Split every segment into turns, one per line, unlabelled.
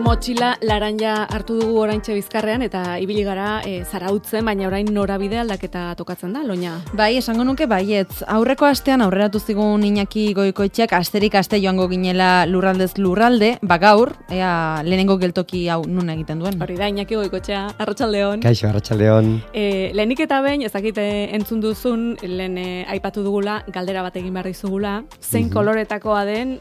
Motxila laranja hartu dugu oraintxe Bizkarrean eta ibili gara zarautzen, baina orain norabide aldaketa tokatzen da, Loña.
Bai, esango nuke baietz. Aurreko astean aurreratu zigun Iñaki Goikoetxeak asterik aste joango ginela lurraldez lurralde, gaur, ea lehenengo geltoki hau nun egiten duen.
Hori da, Iñaki Goikoetxea, arratsaldeon.
Kaixo, arratsaldeon.
Lehenik eta behin, ezakite entzun duzun, lehen aipatu dugula, galdera bat egin behar dizugula, zein koloretakoa den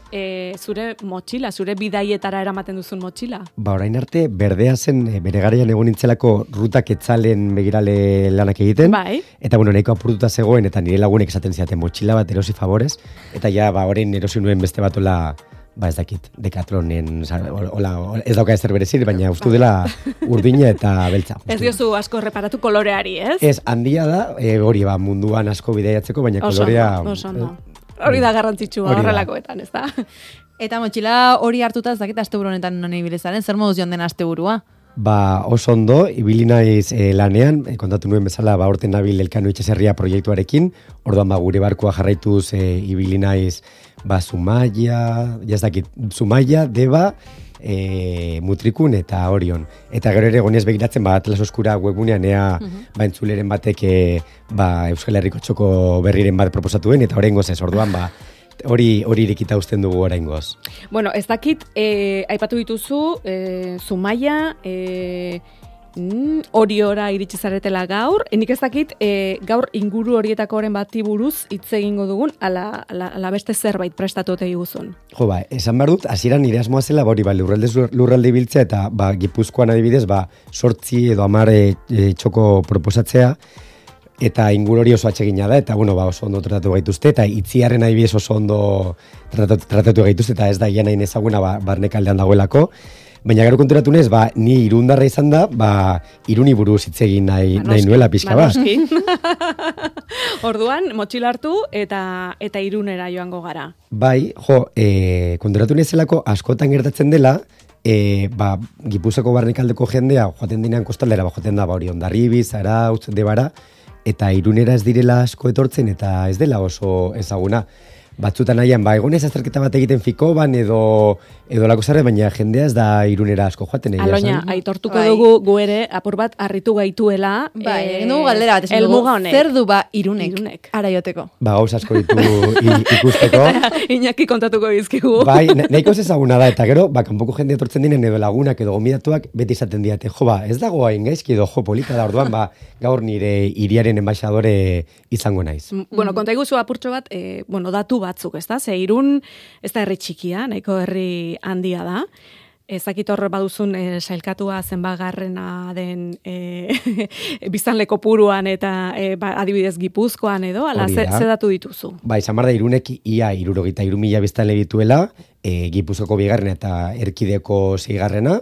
zure motxila, zure bidaietara eramaten duzun motxila?
Orain arte, berdea zen bere garaian egon nintzelako rutak etzalen begirale lanak egiten.
Bai.
Eta nahiko apurtuta zegoen, eta nire lagunek esaten ziaten motxila bat erosi favorez. Eta ja, orain erosi nuen beste bat ez dakit, Decathlonen, ez dauka ezer berezir, baina ustu dela urdina eta beltza.
Ez diozu asko reparatu koloreari, ez?
Ez, handia da, hori munduan asko bidaiatzeko, baina kolorea...
Hori da garrantzitsua horrelakoetan, ez da?
Eta motxila hori hartuta ez dakit asteburu honetan non ibilizaren, zer moduz joan den asteburua?
Oso ondo, ibili naiz lanean, kontatu nuen bezala, orten nabil Elkano Itxaserria proiektuarekin, orduan gure barkua jarraituz ibili naiz Zumaia, Zumaia, Deba, Mutrikun eta Orion. Eta gero ere goniez begiratzen, Atlas Oskura webgunean ea entzuleren batek Euskal Herriko txoko berriren bat proposatuen, eta oraingoz ez, orduan hori irekita uzten dugu oraingoz.
Bueno, ez dakit, aipatu dituzu, Zumaia, Oriora iritsi zaretela gaur, nik ez dakit, gaur inguru horietako oren bati buruz hitz egingo dugun, ala beste zerbait prestatu ote guzun.
Esan behar dut, hasieran nire asmoa zela, lurralde ibiltzea, eta Gipuzkoan adibidez, 8 edo 10 txoko proposatzea, eta inguru hori oso atsegina da, eta oso ondo tratatu gaituzte, eta itziarren adibidez oso ondo tratatu gaituzte, eta ez da gian hain ezaguna barnekaldean dagoelako. Baina gero konturatu nez, ni irundarra izan da, Iruni buruz hitz egin nahi nuela pixka bat.
Orduan, motxila hartu eta Irunera joango gara.
Konturatu nezelako askotan gertatzen dela, Gipuzkoako barnekaldeko jendea joaten dinean kostaldera, joaten da hori Hondarribi, Zarautz, Debara, eta Irunera ez direla asko etortzen, eta ez dela oso ezaguna. Batzutan nahian, egonez azterketa bat egiten Fikoban edo lako zarre, baina jendea ez da Irunera asko joaten.
Aloña, aitortuko dugu gu ere, apur bat harritu gaituela.
Egin dugu galdera bat, esan dugu, zer du Irunek ara joteko?
Gauz asko ditu ikusteko.
Iñaki kontatuko bizkigu.
Nahiko ez ezaguna da, eta gero, kanpoko jendea etortzen dinen edo lagunak edo gomidatuak beti izaten diate, ez dago hain gaizki edo polita da, orduan, gaur nire hiriaren enbaixadore izango naiz.
Bueno, konta iguzu apurtxo bat, datu batzuk, ez da? Ze Irun, ez da herri txikia, nahiko herri handia da. Ezakit horre baduzun sailkatua zenbagarrena den biztanle kopuruan eta adibidez Gipuzkoan edo, ala ze datu dituzu?
Izan da Irunek ia 63.000 biztanle dituela, Gipuzkoako 2. eta Erkideko 6.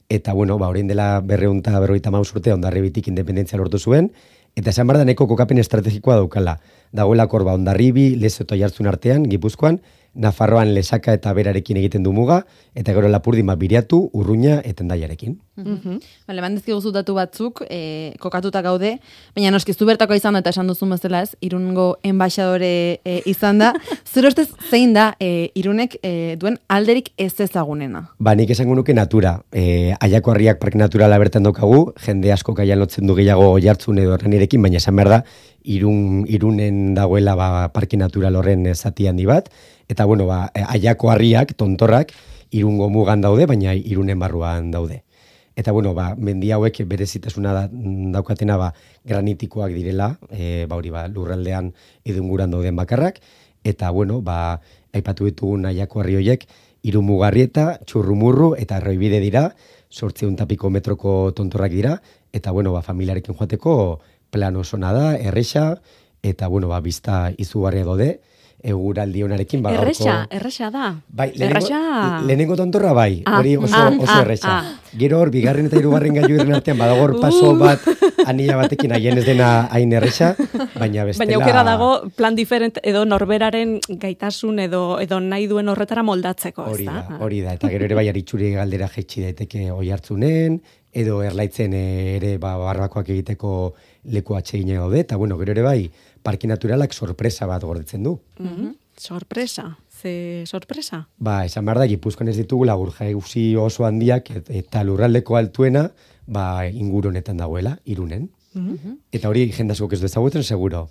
Eta orain dela 250 urte Hondarribitik independentzia lortu zuen, eta esan behar da nahiko kokapen estrategikoa daukala. Dagoelako Hondarribi, Lezo eta Oiartzun artean, Gipuzkoan, Nafarroan Lesaka eta Berarekin egiten du muga, eta gero Lapurdin Biriatu, Urruña eta Hendaiarekin.
Bandezki guzu datu batzuk, kokatuta gaude, baina noskizu bertako izan da eta esan duzun bezala ez, Irungo enbaixadore izan da. Zure ustez zein da Irunek duen alderik ez ezagunena?
Nik esango nuke natura. Aiako Harriak parke naturala bertan daukagu, jende asko kaian lotzen du gehiago Oiartzun edo Erranirekin, baina esan behar da, Irunen dagoela parke natural horren zati handi bat, eta Aiako Harriak, tontorrak, Irungo mugan daude, baina Irunen barruan daude. Eta mendi hauek berezitasuna daukatena granitikoak direla, lurraldean edo inguran dauden bakarrak, eta aipatu ditugun Aiako Harri horiek, Irun Mugarrieta, Txurrumurru eta Erroibide dira, 800 piko metroko tontorrak dira, eta familiarekin joateko plan osona da, erresa, eta bizta izugarria daude, eguraldi honarekin
Erresa da.
Lehenengo tontorra hori oso erresa. Gero hor, 2. eta 3. gailuren artean badagor paso bat anila batekin haien ez dena hain erresa, baina bestela...
Baina aukera dago plan diferent edo norberaren gaitasun edo nahi duen horretara moldatzeko, ez da?
Hori da, eta gero ere aritxuri galdera jetxi daiteke Oiartzunen, edo Erlaitzen ere barbakoak egiteko leku atsegina daude, eta gero ere parke naturalak sorpresa bat gordetzen du.
Sorpresa. ze sorpresa?
Ba, esan behar da, Gipuzkoan ez ditugula urjauzi oso handiak eta lurraldeko altuena inguru honetan dagoela, Irunen. Eta hori jendazkok ez dezagutzen, seguro.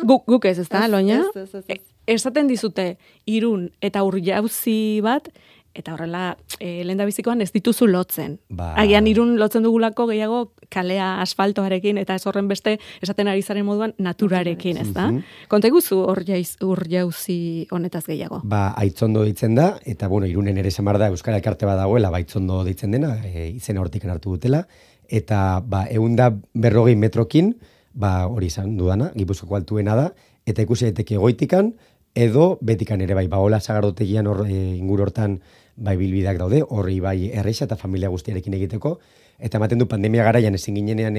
Guk ez da, Loina?
Ez.
Esaten dizute Irun eta Urjauzi bat, eta horrela, lehendabizikoan ez dituzu lotzen. Agian Irun lotzen dugulako gehiago kalea asfaltoarekin, eta ez horren beste esaten ari zaren moduan naturarekin, ez da? Konta iguzu Urjauzi honetaz gehiago.
Aitzondo ditzen da, eta Irunen ere esan behar da Euskal Elkarte bat dagoela, Aitzondo ditzen dena, izena hortikan hartu dutela, eta 140 metrokin, hori izan dudana, Gipuzkoako altuena da, eta ikusi daiteke goitikan, edo betikan ere hola sagardotegian inguru hortan bilbideak daude, horri erreixa eta familia guztiarekin egiteko, eta ematen du pandemia garaian ezin ginenean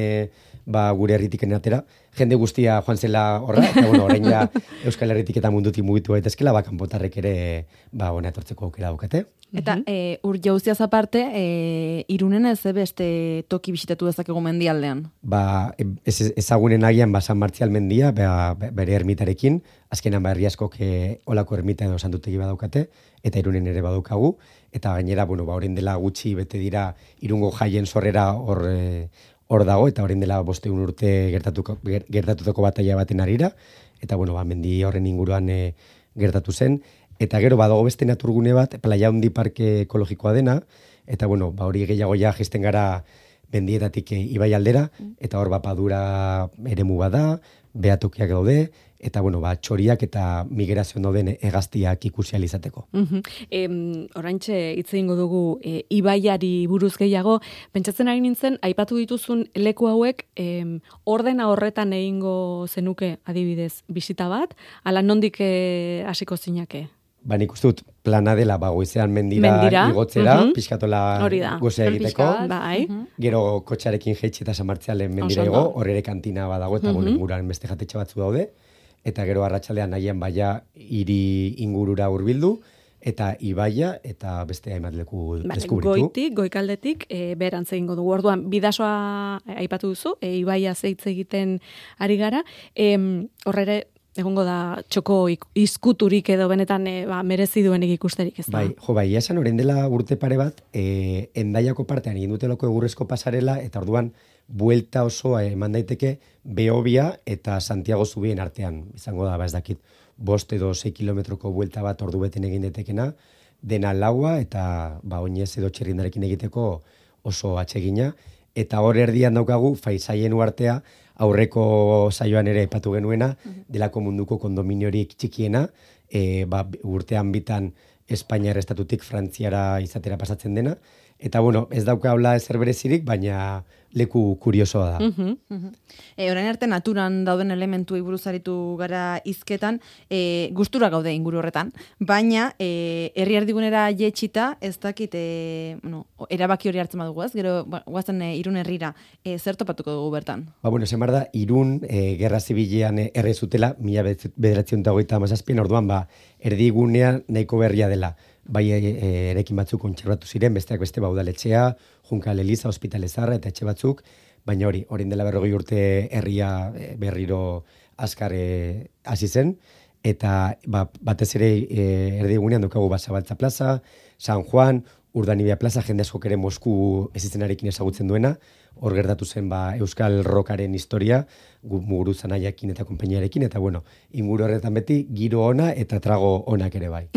gure herritiken atera, jende guztia joan zela horra, eta orain ja Euskal Herritik eta mundutik mugitu gaitezkela, kanpotarrek ere hona etortzeko aukera daukate.
Eta Urjauziaz aparte, Irunen ez beste toki bisitatu dezakegu mendialdean?
Ezagunen agian San Martzial mendia, bere ermitarekin, azkenan herri askok olako ermita edo santutegi badaukate, eta Irunen ere badaukagu, eta gainera, orain dela gutxi bete dira Irungo jaien sorrera hor dago, eta orain dela 500 urte gertatutako bataila baten arira, eta mendi horren inguruan gertatu zen, eta gero badago beste naturgune bat, Playa Handi Parke ekologikoa dena, eta hori gehiago jaisten gara mendietatik ibai aldera, eta hor Padura eremu bada, behatokiak daude, eta txoriak eta migrazioan dauden hegaztiak ikusi ahal izateko.
Oraintxe hitz egingo dugu ibaiari buruz gehiago, pentsatzen ari nintzen, aipatu dituzun leku hauek ordena horretan egingo zenuke adibidez bisita bat, ala nondik hasiko zinake?
Nik uste dut plana dela goizean mendira igotzera, pixkatola gozea egiteko, gero kotxarekin jeitxe eta San Martzialen mendira igo, horre ere kantina badago eta inguruan beste jatetxe batzu daude, eta gero arratsaldean nahian hiri ingurura hurbildu, eta ibaia eta beste hainbat leku deskubritu.
Goikaldetik, berantz egingo dugu. Orduan, bidasoa aipatu duzu, ibaia zeitz egiten ari gara, horre egongo da txoko izkuturik edo benetan merezi duenik ikusterik, ez da?
Esan orain dela urte pare bat, Endaiako partean egin dutelako egurrezko pasarela, eta orduan buelta osoa eman daiteke Behobia eta Santiago Zubien artean. Izango da, ez dakit, 5 edo 6 kilometroko buelta bat ordu beten egin daitekena, dena laua eta oinez edo txerrindarekin egiteko oso atsegina, eta hor erdian daukagu Faisaien uartea, aurreko saioan ere aipatu genuena, delako munduko kondominiorik txikiena, urtean bitan Espainiar estatutik Frantziara izatera pasatzen dena, eta ez dauka hola ezer berezirik, baina leku kuriosoa da.
Orain arte naturan dauden elementu buruz aritu gara hizketan, gustura gaude inguru horretan, baina herri erdigunera jetxita, ez dakit, erabaki hori hartzen badugu ez, gero guazen Irun herrira, zer topatuko dugu bertan?
Esan behar da, Irun gerra zibilean errezutela, 1927 orduan, erdigunea nahiko berria dela. Erekin batzuk kontserbatu ziren, besteak beste udaletxea, Junkal Eliza, Hospitale Zaharra eta etxe batzuk, baina orain dela 40 urte herria berriro azkar hasi zen, eta batez ere erdigunean daukagu Zabaltza plaza, San Juan, Urdanibia plaza, jende askok ere Mosku ezizenarekin ezagutzen duena, hor gertatu zen Euskal Rockaren historia, Muguruza Nahiakin eta konpainiarekin, eta inguru horretan beti giro ona eta trago onak ere bai.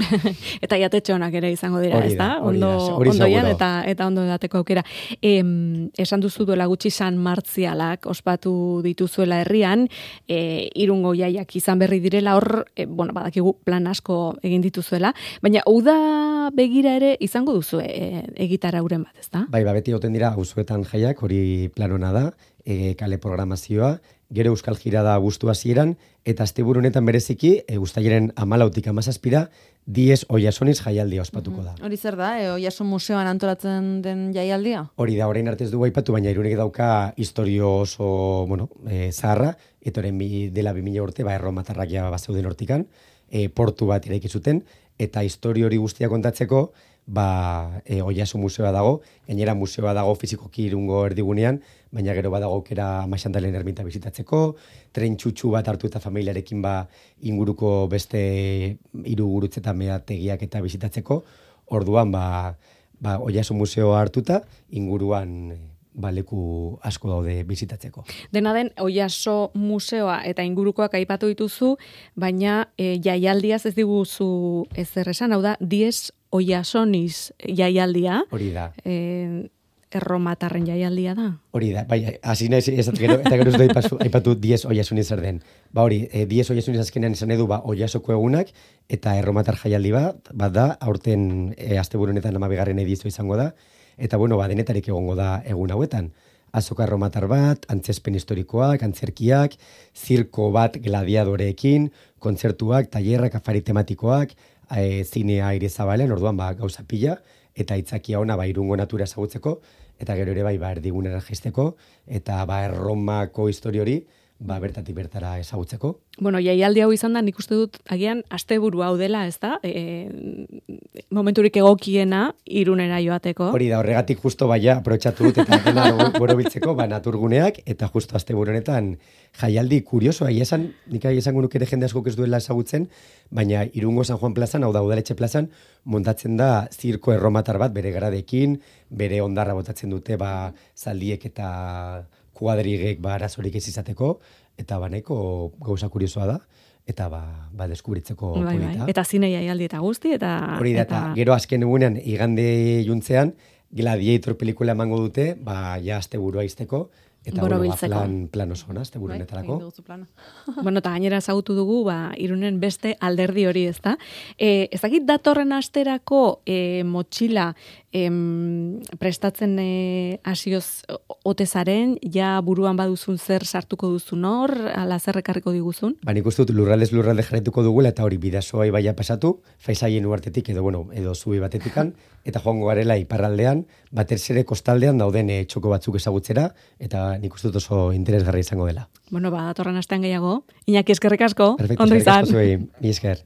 Eta jatetxe onak ere izango dira, ez da? Ondoian eta ondo edateko aukera. Esan duzu duela gutxi San Martzialak ospatu dituzuela herrian, Irungo jaiak izan berri direla, hor, badakigu plan asko egin dituzuela, baina uda begira ere izango duzu egitara uren bat, ez da?
Beti goten dira auzoetan jaiak, hori planona da, kale programazioa, gero Euskal Jirada abuztu hasieran, eta asteburu honetan bereziki, uztailaren 14tik 17ra, Diez Oiasoniz jaialdia ospatuko da.
Hori zer da, Oiason museoan antolatzen den jaialdia?
Hori da, orain arte ez dugu aipatu, baina Irunek dauka historio oso, zaharra, eta orain dela 2000 urte, erromatarrak ja bazeuden hortikan, portu bat eraiki zuten, eta historio hori guztia kontatzeko, Oiaso museoa dago, gainera museoa dago fizikoki Irungo erdigunean, baina gero badago aukera Maxantalen ermita bizitatzeko, tren txutxu bat hartu eta familiarekin inguruko beste 3 gurutze eta meategiak eta bizitatzeko, orduan Oiaso museoa hartuta inguruan leku asko daude bizitatzeko.
Dena den, Oiaso museoa eta ingurukoak aipatu dituzu, baina jaialdiaz ez diguzu ezer esan, hau da, Dies Oiasoniz jaialdia.
Hori da.
Erromatarren jaialdia da.
Hori da, bai, hasi naiz eta gero ez aipatu Dies Oiasoniz zer den. Hori, Dies Oiasoniz azkenean izan edu Oiasoko egunak eta erromatar jaialdi bat da, aurten asteburu honetan 12. edizioa izango da. Eta denetarik egongo da egun hauetan. Azoka erromatar bat, antzespen historikoak, antzerkiak, zirko bat gladiadoreekin, kontzertuak, tailerrak, afari tematikoak, zinea aire zabalean, orduan gauza pila, eta itzakia ona Irungo natura ezagutzeko, eta gero ere erdigunera jaisteko, eta Erromako histori hori, bertatik bertara ezagutzeko.
Bueno, jaialdi hau izan da, nik uste dut, agian, asteburu hau dela, ez da? Momenturik egokiena Irunera joateko.
Hori da, horregatik justo aprobetxatu dut, eta dena borobiltzeko, naturguneak, eta justo asteburu honetan jaialdi kuriosoa, nik esango nuke ere jende askok ez duela ezagutzen, baina Irungo San Juan plazan, hau da Udaletxe plazan, montatzen da zirko erromatar bat bere garadekin, bere ondarra botatzen dute, zaldiek eta kuadrigek arazorik ez izateko, eta nahiko gauza kuriosoa da, eta deskubritzeko polita.
Eta zine jaialdi eta guzti, eta...
Hori da, eta gero azken egunean, igande juntzean, Gladiator pelikula emango dute, asteburua izteko, eta plan oso ona, asteburu honetarako.
Bueno, eta gainera ezagutu dugu, Irunen beste alderdi hori, ez da? Ez dakit datorren asterako motxila prestatzen hasioz otezaren, ja buruan baduzun zer sartuko duzun hor, ala zer ekarriko diguzun?
Nik uste dut lurralde jarraituko dugula, eta hori bidasoa ibaia pasatu, Faisaien uartetik edo zubi batetikan, eta joango garela iparraldean, batez ere kostaldean dauden txoko batzuk ezagutzera, eta nik uste dut oso interesgarri izango dela.
Bueno, datorren astean gehiago. Iñaki, eskerrik asko.
Perfecto, eskerrik asko zuei. Mi esker.